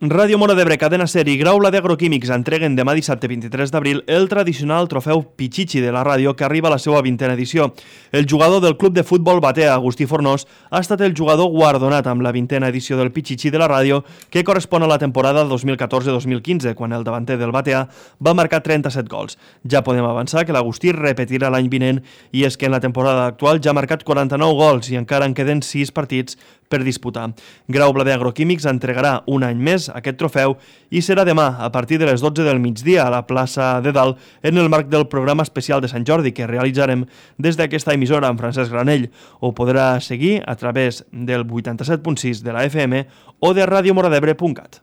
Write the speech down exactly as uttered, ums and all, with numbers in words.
Ràdio Móra d'Ebre, Cadena Ser i Graula d'Agroquímics entreguen demà dissabte vint-i-tres d'abril el tradicional trofeu Pichichi de la ràdio que arriba a la seva vintena edició. El jugador del club de futbol Batea, Agustí Fornós, ha estat el jugador guardonat amb la vintena edició del Pichichi de la ràdio que correspon a la temporada dos mil catorze dos mil quinze, quan el davanter del Batea va marcar trenta-set gols. Ja podem avançar que l'Agustí repetirà l'any vinent i és que en la temporada actual ja ha marcat quaranta-nou gols i encara en queden sis partits per disputar. Graula d'Agroquímics entregarà un any més aquest trofeu i serà demà a partir de les dotze del migdia a la plaça de Dalt en el marc del programa especial de Sant Jordi que realitzarem des d'aquesta emissora amb Francesc Granell. Ho podrà seguir a través del vuitanta-set punt sis de la F M o de radiomoradebre punt cat.